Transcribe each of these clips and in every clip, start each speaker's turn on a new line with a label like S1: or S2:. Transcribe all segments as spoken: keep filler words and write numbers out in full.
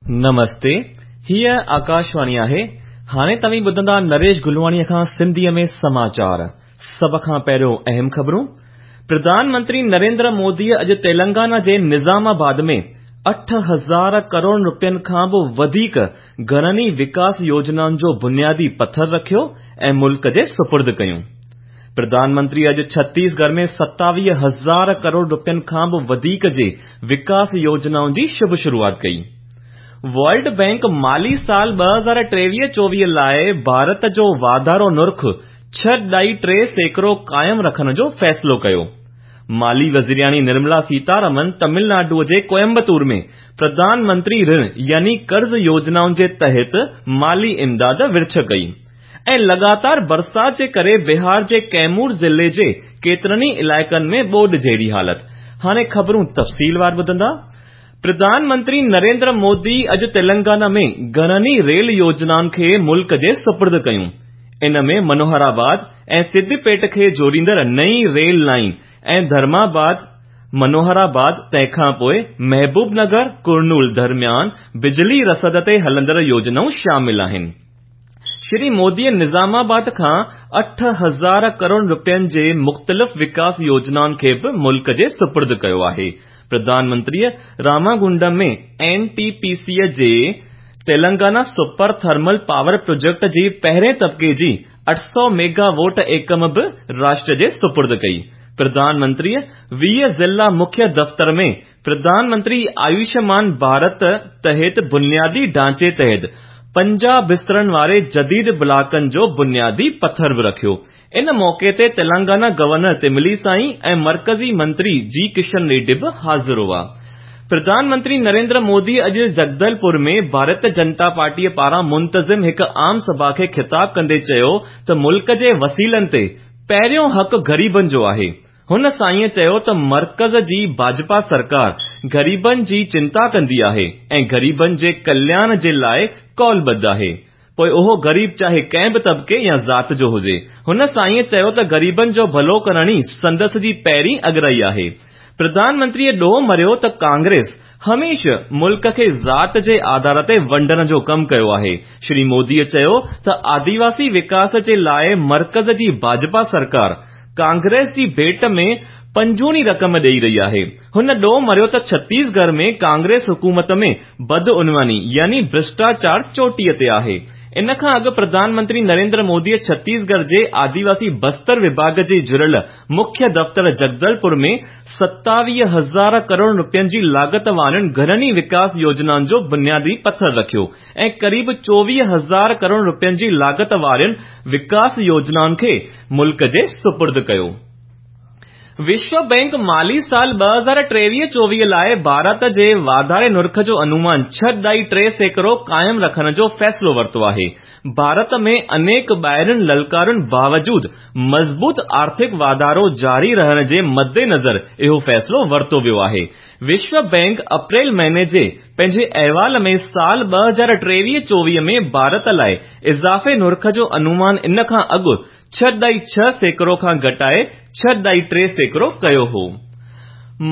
S1: نمستي، هيء آڪاشواڻي آهي. هاڻي توهين ٻڌندا نريش گلواڻيء کان سنڌيء ۾ سماچار. سڀ کان پهريون اهم خبرون. پرڌان منتري نريندر موديء اڄ تيلنگانا جي نظام آباد ۾ اٺ هزار ڪروڙ رپين کان به وڌيڪ گهڻن ئي وڪاس يوجنائن جو بنيادي پٿر رکيو ۽ ملڪ جي سپرد ڪيون. پرڌان منتري اڄ ڇتيسڳڙهه ۾ ستاويهه هزار ڪروڙ رپين کان به وڌيڪ جي وڪاس يوجنائن جي شڀ شروعات ڪئي. ورلڊ بئنڪ مالي سال ٻه هزار ٽيويهه چوويهه لاءِ ڀارت جو واڌارو نرخ ڇهه ڏهائي ٽي سيڪڙو قائم رکڻ جو فيصلو ڪيو. مالي وزيرياڻي نرملا سيتارمن تامل ناڊوءَ جي ڪوئمبتور ۾ پرڌان منتري رڻ يعني قرض يوجنائن جي تحت مالي امداد ورڇ ڪئي. ۽ لڳاتار برسات جي ڪري بهار جي ڪيمور ضلعي جي ڪيترن ئي علائقن ۾ ٻوڏ جهڙي حالت. هاڻي خبرون تفصيلوار ٻڌندا. پرڌان منتري نريندر مودي اڄ تيلنگانا ۾ گهڻن ئي ريل يوجنائن کي ملڪ جي سپرد ڪيون. ان ۾ منوهرآباد ۽ سديپيٽ کي جوڙيندڙ نئين ريل لائين ۽ ڌرماباد منوهرآباد تنهن کان پوءِ محبوب نگر ڪرنول درميان بجلي رسد تي هلندڙ يوجنائون شامل آهن. شري موديءَ نظام آباد کان اٺ هزار ڪروڙ رپين جي مختلف وڪاس يوجنائن کي به ملڪ جي سپرد ڪيو آهي. پرڌان منتريءَ راماگنڊم ۾ اين ٽي پي سيءَ جي Telangana super thermal power project جي پهرين طبقي جي اٺ سؤ ميگا ووٽ ايڪم به راشٽر جي سپرد ڪئي. پرڌان منتريءَ ويهه ضلع مکيه دفتر ۾ پرڌان منتري آيوشمان ڀارت تحت بنيادي ڍانچي تحت پنجاهه بسترن واري جديد بلاڪن جو بنيادي پٿر به رکيو. ان موقعي تي تيلنگانا گورنر تملي سائي ۽ مرڪزي منتري جي ڪشن ريڊي به حاضر هئا. پرڌان منتري نريندر مودي اڄ جگدلپور ۾ ڀارتيه جنتا پارٽيءَ پاران منتظم هڪ عام سڀا کي خطاب ڪندي چيو ته ملڪ جي وسيلن تي پهريون حق غريبن جو آهي. هن سائينءَ چيو ته مرڪز جي ڀاجپا سرڪار غريبن جي چنتا ڪندي آهي ۽ غريبن جي ڪلياڻ جي لاءِ قولبڌ آهي، پوءِ اهو غريب چاهي ڪنهن به طبقي يا ذات جو هجي. هن سائينءَ چيو ته غريبن جو ڀلو ڪرڻ ئي سندس جي پهرين اڳرائي آهي. پرڌان منتريءَ ڏوهه مڙهيو ته ڪانگريس هميشه ملڪ کي ذات جي آڌار تي ونڊڻ جو ڪم ڪيو آهي. شري موديءَ چيو ته آديواسي وڪاس جي لاءِ مرڪز جي ڀاجپا سرڪار ڪانگريس جي ڀيٽ ۾ پنجوڻي رقم ڏيئي رهي آهي. هن ڏوهه مڙهيو ته ڇتيسڳڙهه ۾ ڪانگريس حڪومت ۾ بدعنواني يعني ڀرشٽاچار چوٽيءَ تي آهي. ان کان اڳ پرڌان منتري نريندر موديءَ ڇتيسڳڙهه جي آديواسي بستر وڀاڳ جي جڙيل مکيه دفتر جگدلپور ۾ ستاويهه هزار ڪروڙ رپين جي لاڳت وارين گهڻن ئي وڪاس يوجنائن جو بنيادي پٿر رکيو ۽ قريب چوويهه هزار ڪروڙ رپين جي لاڳت وارين وڪاس يوجنائن کي ملڪ جي سپرد ڪيو. وشو بئنڪ مالي سال ٻه هزار ٽيويهه چوويهه لاءِ ڀارت جي واڌاري نرخ جو انومان ڇهه ڏهائي ٽي سيڪڙو قائم رکڻ جو فيصلو ورتو آهي. ڀارت ۾ انيڪ ٻاهرين للڪارن باوجود مضبوط آرٿڪ واڌارو جاري رهڻ جي مدنظر اهو فيصلو ورتو ويو آهي. وشو بئنڪ اپريل مهيني جي پنهنجي احوال ۾ سال ٻه هزار ٽيويهه چوويهه ۾ ڀارت لاءِ اضافي نرخ جو انومان ان کان اڳ ڇهه ڏهائي ڇهه سيڪڙو کان گهٽائي ڇهه ڏهائي ٽي سيڪڙو ڪيو هو.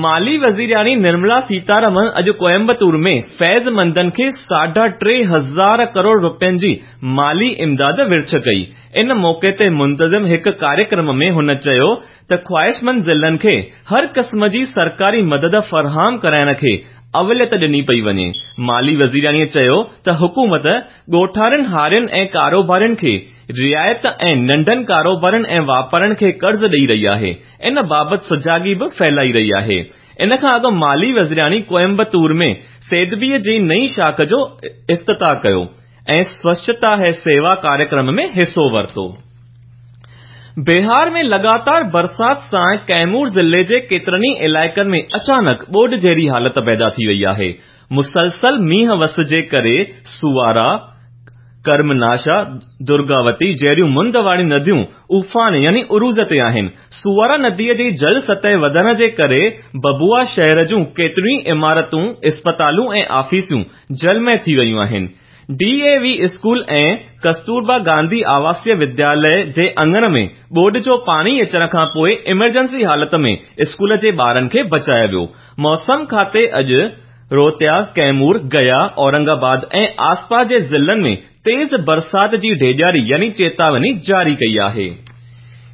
S1: مالي وزيرياڻي نرملا سيتارمن اڄ ڪوئمبتور ۾ فيض مندن کي ساڍا ٽي هزار ڪروڙ رپين جي مالي امداد ورڇ ڪئي. ان موقعي تي منتظم هڪ ڪاريڪرم ۾ هن چيو ته خواهشمند ضلعن کي هر قسم جي سرڪاري مدد فراهم ڪرائڻ کي اوليت ڏني پئي وڃي. مالي وزيرياڻيءَ چيو ته حڪومت ڳوٺاڻن هارين ۽ ڪاروبارين کي رعايت ۽ ننڍن ڪاروبارن ۽ واپارين کي قرض ڏيئي رهي آهي. ان بابت سجاڳي به ڦهلائي رهي آهي. ان کان اڳ مالي وزيرياڻي ڪوئمبتور ۾ سيدبيءَ جي نئين شاخ جو افتتاح ڪيو ۽ سوڇتا هي سيوا ڪاريڪرم ۾ حصو ورتو. بهار ۾ لڳاتار برسات سان ڪيمور ضلعي جي ڪيترن ئي علائقن ۾ اچانڪ ٻوڏ جهڙي حالت پيدا ٿي وئي آهي. مسلسل مينهن وس جي ڪري سوارا، ڪرمناشا، درگاوتي جهڙيون مند واريون نديون افان يعني عروج تي آهن. سوارا نديءَ جي جل سطح وڌڻ جي ڪري ببوا شهر جون ڪيتريون ئي عمارتون، اسپتالون ۽ آفيسون جلمي ٿي ويون آهن. D A V school ۽ Kasturba Gandhi Awasiya Vidyalaya جي اڱڻ ۾ ٻوڏ جو پاڻي اچڻ کان پوءِ ايمرجنسي حالت ۾ اسڪول جي ٻارن کي بچايو ويو. موسم کاتي اڄ روهتاس، ڪيمور، گيا، اورنگ آباد ۽ آسپاس جي ضلعن ۾ تيز برسات جي ڊيڄاري يعني چيتاوني جاري ڪئي آهي.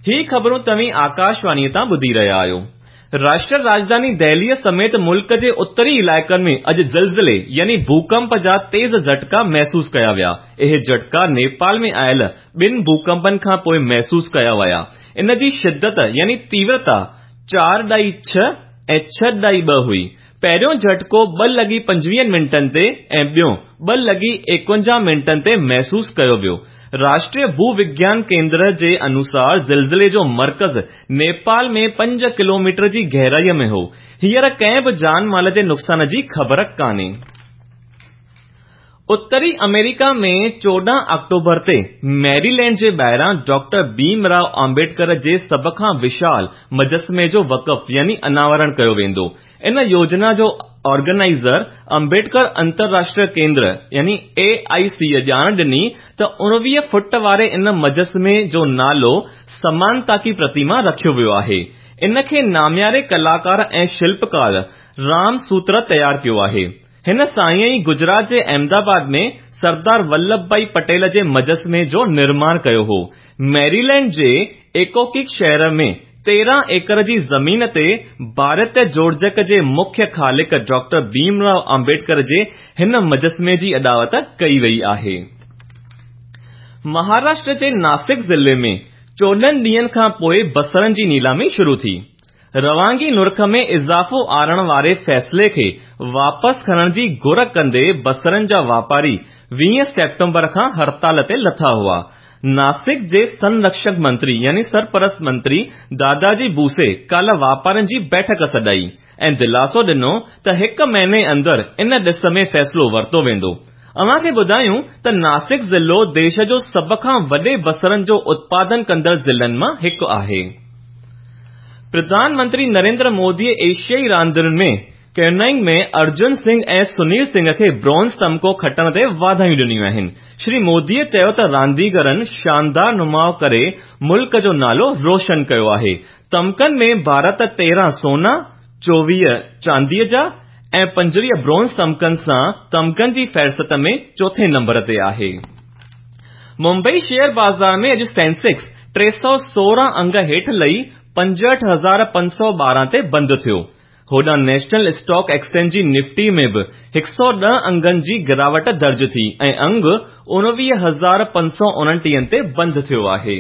S1: هي خبرون توهين آڪاشواڻيء تان ٻڌي رهيا آهيو. راشٽر راڄڌاني دهليء سميت ملڪ جي اتري علائقن ۾ اڄ زلزلي يعني ڀوڪمپ جا تيز جهٽڪا محسوس ڪيا ويا. اهي جهٽڪا نيپال ۾ آيل ٻن ڀوڪمپن کان پوء محسوس ڪيا ويا. ان جي شدت يعني تيورتا چار ڏائي ڇهه ۽ ڇهه ڏائي ٻه هئي. پهريون جهٽڪو ٻه لڳي پنجويهن منٽن تي ۽ ٻيون ٻه لڳي ايڪونجاهه منٽن تي محسوس ڪيو ويو. راشٽريه ڀو وگيان ڪيندر جي انوسار زلزلي جو مرڪز نيپال ۾ پنج ڪلوميٽر جي گهرائيء ۾ هو. هينئر ڪنهن به جان مال جي نقصان جي خبر ڪانهي. اتري آمريڪا ۾ چوڏهن آڪٽوبر تي ميريلينڊ جي ٻاهران ڊاڪٽر ڀيم رائو آمبيڊڪر جي سڀ کان وشال مجسمي جو وقف يعني اناورڻ ڪيو ويندو. ان يوجنا جو آرگنائيزر امبيڊڪر انترراشٽريه ڪيندر يعني اي آء سيء ڄاڻ ڏني ته اڻويهه فوٽ واري ان مجسمي جو نالو سمانتا ڪي پرتيما رکيو ويو آهي. ان کي نامياري ڪلاڪار ۽ شلپڪار رام سوتر تيار ڪيو آهي. هن سائين ئي گجرات جي احمدآباد ۾ سردار ولڀ ڀائي پٽيل جي مجسمي جو نرماڻ ڪيو هو. ميريلينڊ جي ايڪوڪيڪ شهر ۾ تيرهن ايڪڙ جي زمين تي ڀارتيه جوڙجڪ جي مکيه خالق ڊاڪٽر ڀيم رائو آمبيڊڪر جي هن مجسمي جي اڏاوت ڪئي وئي آهي. مهاراشٽر جي ناسڪ ضلعي ۾ چوڏهن ڏينهن کان پوء بصرن جي نيلامي شروع ٿي. روانگي نرخ ۾ اضافو آڻڻ واري فيصلي کي واپس کڻڻ جي گهر ڪندي بصرن جا واپاري ويهه سيپٽمبر کان هڙتال تي لٿا هئا. ناسڪ جي سنرڪشڪ منتري يعني سرپرست منتري داداجي ڀوسي ڪالهه واپارين جي بيٺڪ سڏائي ۽ دلاسو ڏنو ته هڪ مهيني اندر ان ڏس ۾ فيصلو ورتو ويندو. اوهان کي ٻڌايون ته ناسڪ ضلعو ديش جو سڀ کان وڏي بصرن جو اتپادن ڪندڙ ضلعن مان هڪ آهي. پرڌان منتري نريندر موديء ايشيائي راندين ۾ ڪينوئنگ ۾ ارجن سنگهه ۽ سنيل سنگهه کي برونز تمغو کٽڻ تي واڌايون ڏنيون آهن. شري موديء چيو ته رانديگرن شاندار نماءُ ڪري ملڪ جو نالو روشن ڪيو آهي. تمغن ۾ ڀارت تيرهن سونا، چوويهه چانديء جا ۽ پنجويهه برونز تمغن سان تمغن جي فهرست ۾ چوٿين نمبر تي آهي. ممبئي شيئر بازار ۾ اڄ سينسيڪس ٽي سؤ سورهن انگ هيٺ لهي پنجهٺ هزار پنج سؤ ٻارهن تي بند ٿيو. هوڏانهن نيشنل اسٽاڪ ايڪسچينج جي نفٽي ۾ به هڪ سؤ ڏهه انگن جي گراوٽ درج ٿي ۽ انگ اڻويهه هزار پنج سؤ اڻٽيهن تي بند ٿيو آهي.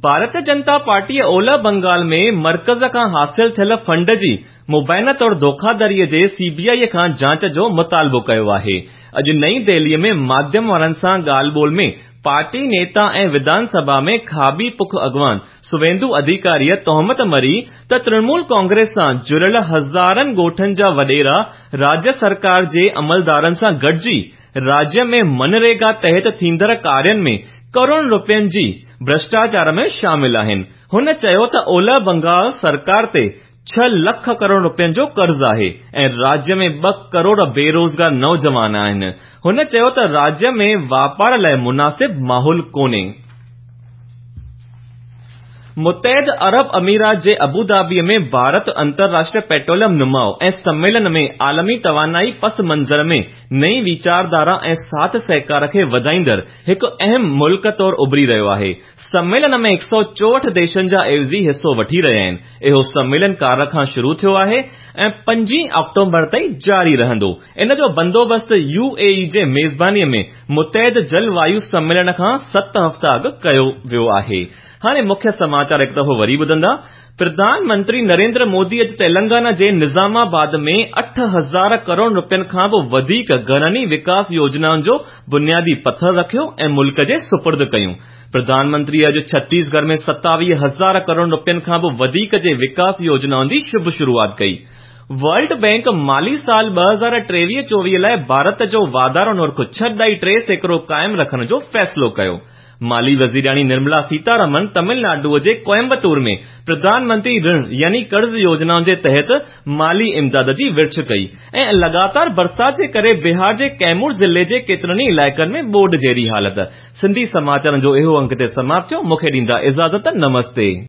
S1: ڀارتيه جنتا پارٽيء اولهه بنگال ۾ مرڪز کان حاصل ٿيل فنڊ جي مبينا طور ڌوکاڌڙيء جي سي بي آء کان جاچ جو مطالبو ڪيو آهي. اڄ نئين دهليء ۾ ماڌيم وارن سان ڳالهه ٻولهه ۾ پارٽي نيتا ۽ وڌان سڀا ۾ کاٻي پک اڳواڻ سويندو اڌيڪاريء تهمت مڙهي ته ترڻمول ڪانگريس سان جڙيل هزارن ڳوٺن جا وڏيرا راجيه سرڪار جي عملدارن سان گڏجي راجيه ۾ منريگا تحت ٿيندڙ ڪارين ۾ ڪروڙن رپين جي ڀرشٽاچار ۾ شامل آهن. هن چيو ته اولهه بنگال سرڪار تي ڇهه لک ڪروڙ رپين جو قرض آهي ۽ راجيه ۾ ٻه ڪروڙ بيروزگار نوجوان آهن. هن چيو ته راجيه ۾ واپار لاءِ مناسب ماحول ڪونهي. متحده عرب امارات جي ابوڌابيء ۾ ڀارت انترراشٽريه پيٽروليم نماءُ ۽ سميلن ۾ عالمي توانائي پس منظر ۾ نئين ويچارڌارا ۽ ساٿ سهڪار کي وڌائيندڙ هڪ اهم ملڪ طور اڀري رهيو آهي. سميلن ۾ هڪ سؤ چوهٺ ديشن جا عيوضي حصو وٺي رهيا آهن. اهو سميلن ڪالهه کان شروع ٿيو آهي ۽ پنجين آڪٽوبر تائين جاري رهندو. ان جو بندوبست يو اي اي جي ميزبانيء ۾ متحده جل وايو سميلن کان ست هفتا اڳ ڪيو ويو آهي. هاڻي مکيه سماچار هڪ دفعو وري ٻڌندا. پرڌان منتري نريندر مودي اڄ تيلنگانا جي نظام آباد ۾ اٺ هزار ڪروڙ رپين کان به وڌيڪ گهڻن ئي وڪاس يوجنائن جو بنيادي پٿر رکيو ۽ ملڪ جي سپرد ڪيون. پرڌان منتري اڄ ڇتيسڳڙهه ۾ ستاويهه هزار ڪروڙ رپين کان به وڌيڪ جي وڪاس يوجنائن جي شڀ شروعات ڪئي. ورلڊ بينڪ مالي سال ٻه هزار ٽيويهه چوويهه لاءِ ڀارت جو واڌارو نرخ ڇهه ڏهائي ٽي سيڪڙو قائم رکڻ جو فيصلو ڪيو. مالي وزيراڻي نرملا سيتارمن تامل ناڊوءَ جي ڪوئمبتور ۾ پرڌان منتري رڻ يعني قرض يوجنائن جي تحت مالي امداد جي ورڇ ڪئي ۽ لڳاتار برسات جي ڪري بهار جي ڪيمور ضلعي جي ڪيترن ئي علائقن ۾ ٻوڏ جهڙي حالت. سنڌي سماچارن جو اهو انڪ هتي سماپت ٿيو. مون کي ڏيندا اجازت. نمستي.